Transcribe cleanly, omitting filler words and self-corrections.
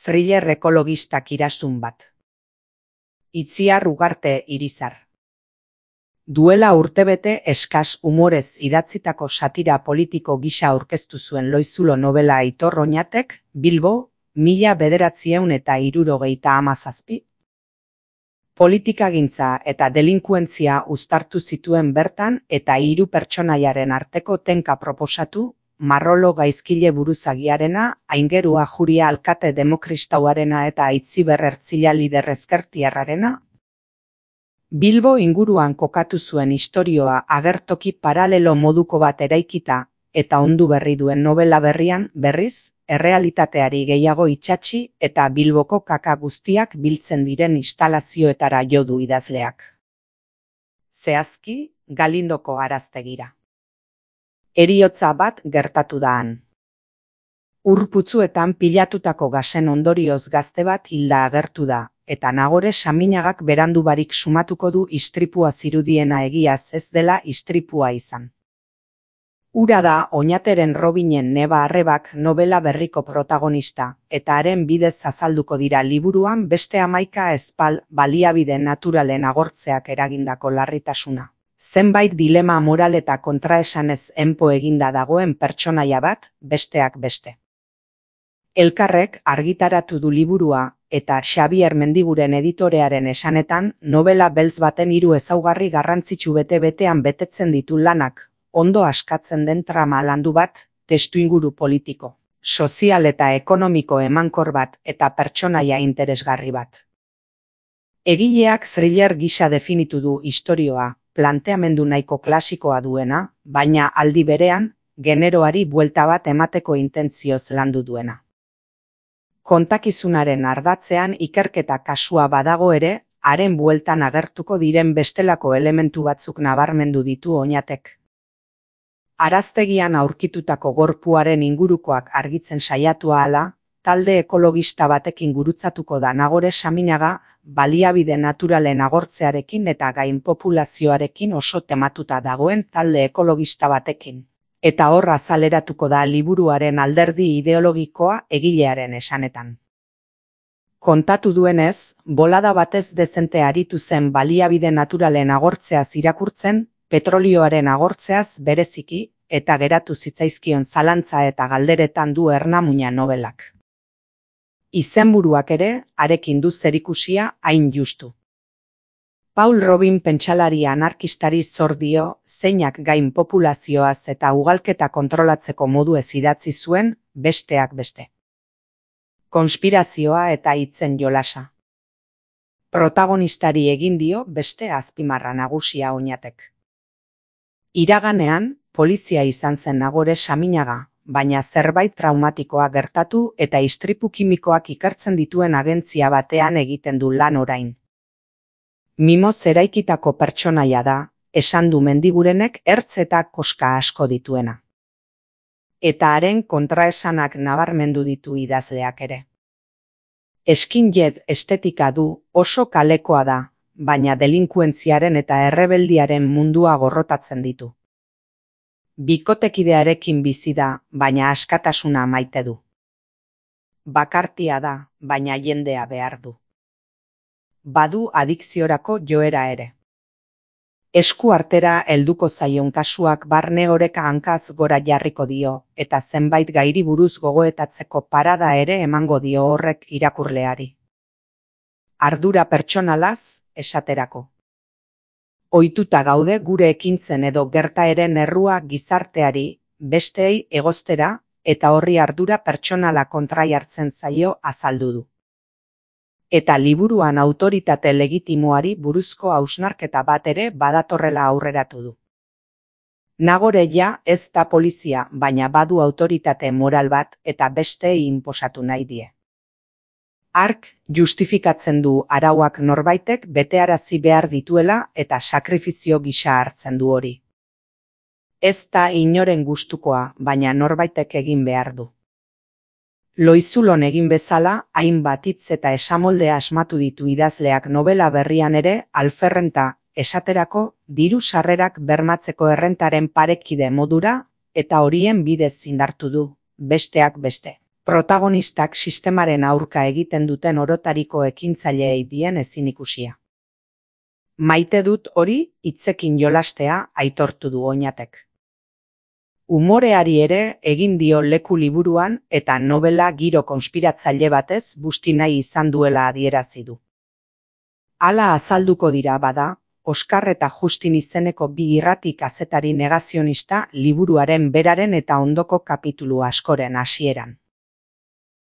Thriller ekologistak irasun bat. Itziar Ugarte Irizar. Duela urtebete eskas umorez idatzitako satira politiko gisa aurkeztu zuen Loizulo nobela Aitor Oñatek, Bilbo, 1977. Politikagintza eta delinkuentzia uztartu zituen bertan eta 3 pertsonaiaren arteko tenka proposatu, Marrolo gaizkile buruzagiarena, Aingerua Juria alkate demokristauarena eta Aitziber Ertzila lider ezkertiarrarena. Bilbo inguruan kokatu zuen istorioa agertoki paralelo moduko bat eraikita eta ondu berri duen nobela berrian, berriz, errealitateari gehiago itsatsi eta Bilboko kaka guztiak biltzen diren instalazioetara jo du idazleak. Zehazki, Galindoko araztegira. Heriotza bat gertatu da han. Ur putzuetan pilatutako gasen ondorioz gazte bat hilda agertu da, eta Nagore Saminagak berandu barik sumatuko du istripua zirudiena egiaz ez dela istripua izan. Hura da Oñateren Robinen neba arrebak nobela berriko protagonista, eta haren bidez azalduko dira liburuan beste 11 espal baliabide naturalen agortzeak eragindako larritasuna. Zenbait dilema moral eta kontraesanez enpo eginda dagoen pertsonaia bat, besteak beste. Elkarrek argitaratu du liburua, eta Xabier Mendiguren editorearen esanetan, nobela beltz baten 3 ezaugarri garrantzitsu bete-betean betetzen ditu lanak, ondo askatzen den trama landu bat, testuinguru politiko, sozial eta ekonomiko emankor bat eta pertsonaia interesgarri bat. Egileak thriller gisa definitu du istorioa, planteamendu nahiko klasikoa duena, baina aldi berean, generoari buelta bat emateko intentzioz landu duena. Kontakizunaren ardatzean ikerketa kasua badago ere, haren bueltan agertuko diren bestelako elementu batzuk nabarmendu ditu Oñatek. Araztegian aurkitutako gorpuaren ingurukoak argitzen saiatu ahala, talde ekologista batekin gurutzatuko da Nagore Saminaga, baliabide naturalen agortzearekin eta gainpopulazioarekin oso tematuta dagoen talde ekologista batekin. Eta hor azaleratuko da liburuaren alderdi ideologikoa egilearen esanetan. Kontatu duenez, bolada batez dezente aritu zen baliabide naturalen agortzeaz irakurtzen, petrolioaren agortzeaz bereziki, eta geratu zitzaizkion zalantza eta galderetan du ernamuina nobelak. Izenburuak ere, harekin du zerikusia hain justu. Paul Robin pentsalari anarkistari zor dio, zeinak gain populazioaz eta ugalketa kontrolatzeko modu ez idatzi zuen, besteak beste. Konspirazioa eta hitzen jolasa. Protagonistari egin dio beste azpimarra nagusia Oñatek. Iraganean, polizia izan zen Nagore Saminaga, baina zerbait traumatikoa gertatu eta istripu kimikoak ikertzen dituen agentzia batean egiten du lan orain. Mimoz eraikitako pertsonaia da, esan du Mendigurenek ertz eta koska asko dituena. Eta haren kontraesanak nabarmendu ditu idazleak ere. Skinhead estetika du, oso kalekoa da, baina delinkuentziaren eta errebeldiaren mundua gorrotatzen ditu. Bikotekidearekin bizi da, baina askatasuna maite du. Bakartia da, baina jendea behar du. Badu adikziorako joera ere. Esku artera helduko zaion kasuak barne oreka hankaz gora jarriko dio, eta zenbait gairi buruz gogoetatzeko parada ere emango dio horrek irakurleari. Ardura pertsonalaz, esaterako. Ohituta gaude gure ekintzen edo gertaeren errua gizarteari, besteei egoztera, eta horri ardura pertsonala kontraiartzen zaio azaldu du. Eta liburuan autoritate legitimoari buruzko hausnarketa bat ere badatorrela aurreratu du. Nagore ja ez da polizia, baina badu autoritate moral bat eta besteei inposatu nahi die. Hark justifikatzen du arauak norbaitek betearazi behar dituela eta sakrifizio gisa hartzen du hori. Ez da inoren gustukoa, baina norbaitek egin behar du. Loizulon egin bezala, hainbat hitz eta esamolde asmatu ditu idazleak nobela berrian ere, alferrenta, esaterako, diru sarrerak bermatzeko errentaren parekide modura, eta horien bidez indartu du, besteak beste. Protagonistak sistemaren aurka egiten duten orotariko ekintzaileei dien ezin ikusia. Maite dut hori hitzekin jolastea aitortu du Oñatek. Umoreari ere egin dio leku liburuan eta novela giro konspiratzaile batez busti nahi izan duela adierazi du. Hala azalduko dira bada, Oskar eta Justin izeneko bi irrati kazetari negazionista liburuaren beraren eta ondoko kapitulu askoren hasieran.